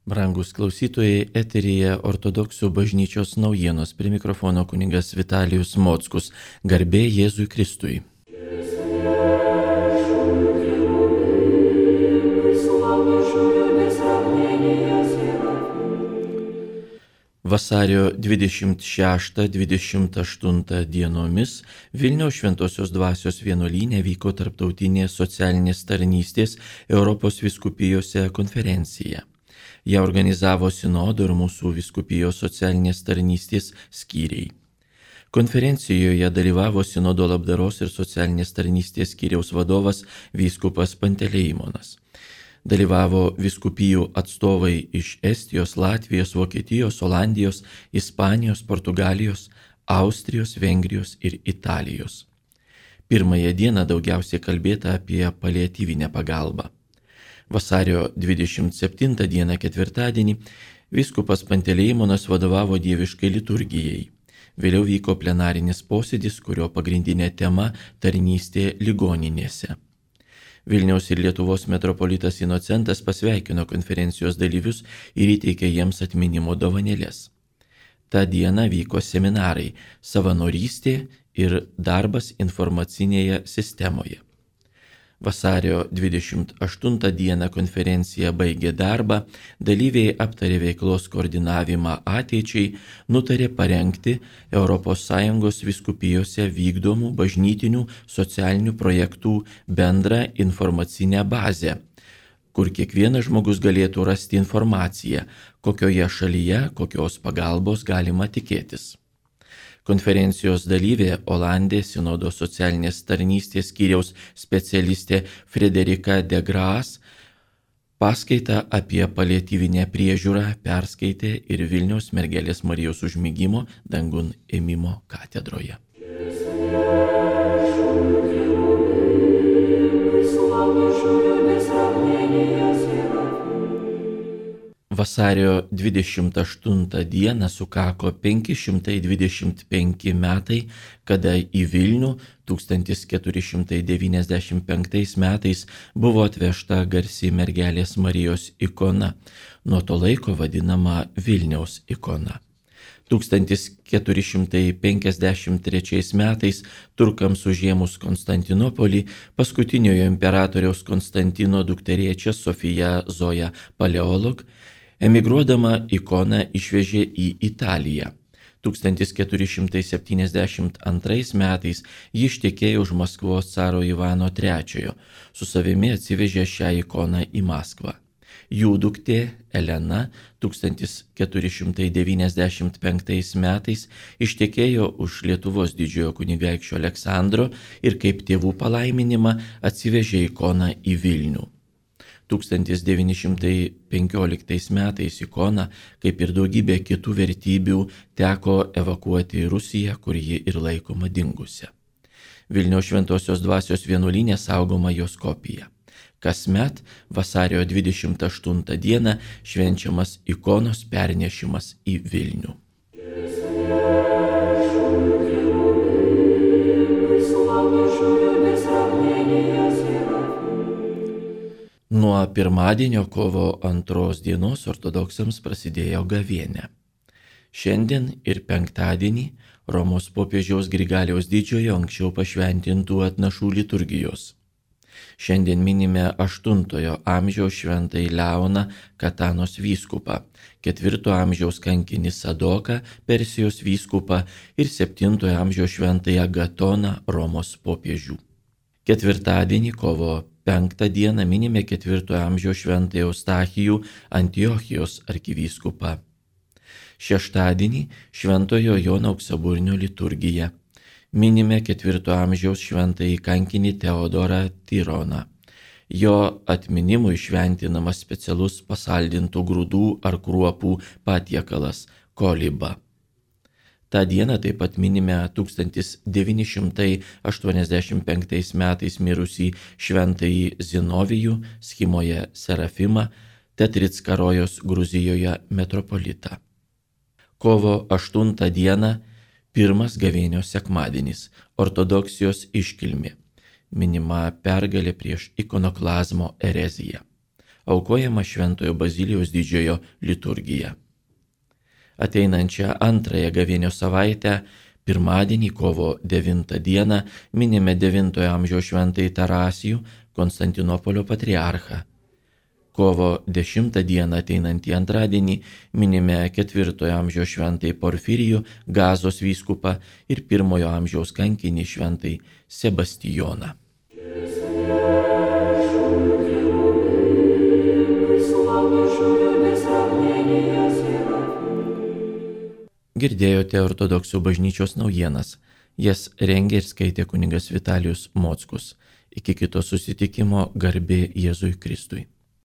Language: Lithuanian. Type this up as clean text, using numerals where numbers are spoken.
Brangus klausytojai, eteryje Ortodoksų bažnyčios naujienos, prie mikrofono kunigas Vitalijus Mockus. Garbė Jėzui Kristui. Vasario 26-28 dienomis Vilniaus Šventosios Dvasios vienuolyne vyko tarptautinė socialinės tarnystės Europos vyskupijose konferencija. Ją organizavo Sinodo ir mūsų vyskupijos socialinės tarnystės skyriai. Konferencijoje dalyvavo Sinodo labdaros ir socialinės tarnystės skyriaus vadovas vyskupas Panteleimonas. Dalyvavo vyskupijų atstovai iš Estijos, Latvijos, Vokietijos, Olandijos, Ispanijos, Portugalijos, Austrijos, Vengrijos ir Italijos. Pirmąją dieną daugiausiai kalbėta apie paliatyvinę pagalbą. Vasario 27 dieną ketvirtadienį vyskupas Panteleimonas vadovavo dieviškai liturgijai. Vėliau vyko plenarinis posėdis, kurio pagrindinė tema – tarnystė ligoninėse. Vilniaus ir Lietuvos metropolitas Inocentas pasveikino konferencijos dalyvius ir įteikė jiems atminimo dovanėles. Ta diena vyko seminarai savanorystė ir darbas informacinėje sistemoje. Vasario 28 dieną konferencija baigė darbą, dalyviai aptarė veiklos koordinavimą ateičiai, nutarė parengti ES vyskupijose vykdomų bažnytinių socialinių projektų bendrą informacinę bazę, kur kiekvienas žmogus galėtų rasti informaciją, kokioje šalyje, kokios pagalbos galima tikėtis. Konferencijos dalyvė Olandė Sinodo socialinės tarnystės skyriaus specialistė Frederika de Graas paskaitą apie paliatyvinę priežiūrą perskaitė ir Vilniaus Mergelės Marijos užmigimo dangun ėmimo katedroje. Vasario 28 dieną sukako 525 metai, kada į Vilnių 1495 metais buvo atvežta garsi Mergelės Marijos ikona, nuo to laiko vadinama Vilniaus ikona. 1453 metais turkams užėmus Konstantinopolį paskutiniojo imperatoriaus Konstantino dukterėčia Sofija Zoja Paleolog emigruodama ikoną išvežė į Italiją. 1472 metais ji ištekėjo už Maskvos caro Ivano III, su savimi atsivežė šią ikoną į Maskvą. Jų duktė Elena 1495 metais ištekėjo už Lietuvos didžiojo kunigaikščio Aleksandro ir kaip tėvų palaiminimą atsivežė ikoną į Vilnių. 1915 metais ikoną, kaip ir daugybė kitų vertybių, teko evakuoti į Rusiją, kur ji ir laikoma dingusia. Vilniaus Šventosios Dvasios vienuolyne saugoma jos kopija. Kasmet vasario 28 dieną švenčiamas ikonos pernešimas į Vilnių. Nuo pirmadienio kovo 2 dienos ortodoksams prasidėjo gavėnia. Šiandien ir penktadienį Romos popiežiaus Grigaliaus Didžiojo anksčiau pašventintų atnašų liturgijos. Šiandien minime 8 amžiaus šventąjį Leoną Katanos vyskupą, 4 amžiaus kankinį Sadoką Persijos vyskupą ir 7 amžiaus šventąjį Agatoną Romos popiežių. Ketvirtadienį kovo 5 dieną minime 4 amžiaus šventąjį Eustachijų Antiochijos arkivyskupą. Šeštadienį šventojo Jono Auksaburnio liturgija. Minime 4 amžiaus šventąjį kankinį Teodorą Tironą. Jo atminimui šventinamas specialus pasaldintų grūdų ar kruopų patiekalas koliba. Ta diena taip pat minime 1985 metais mirusį šventąjį Zinovijų Schimoje Serafimą, Tetritskarojos Gruzijoje metropolitą. Kovo 8 dieną pirmas gavėnios sekmadienis, ortodoksijos iškilmė, minima pergalė prieš ikonoklazmo ereziją. aukojama Šventojo Bazilijaus didžiojo liturgija. Ateinančią antrąją gavėnios savaitę, pirmadienį kovo 9 dieną, minime 9 amžiaus šventąjį Tarasijų, Konstantinopolio patriarchą. Kovo 10 dieną ateinantį antradienį minime 4 amžiaus šventąjį Porfirijų, Gazos vyskupą ir 1 amžiaus kankinį šventąjį Sebastijoną. Girdėjote Ortodoksų bažnyčios naujienas. Jas rengė ir skaitė kunigas Vitalijus Mockus. Iki kito susitikimo, garbė Jėzui Kristui.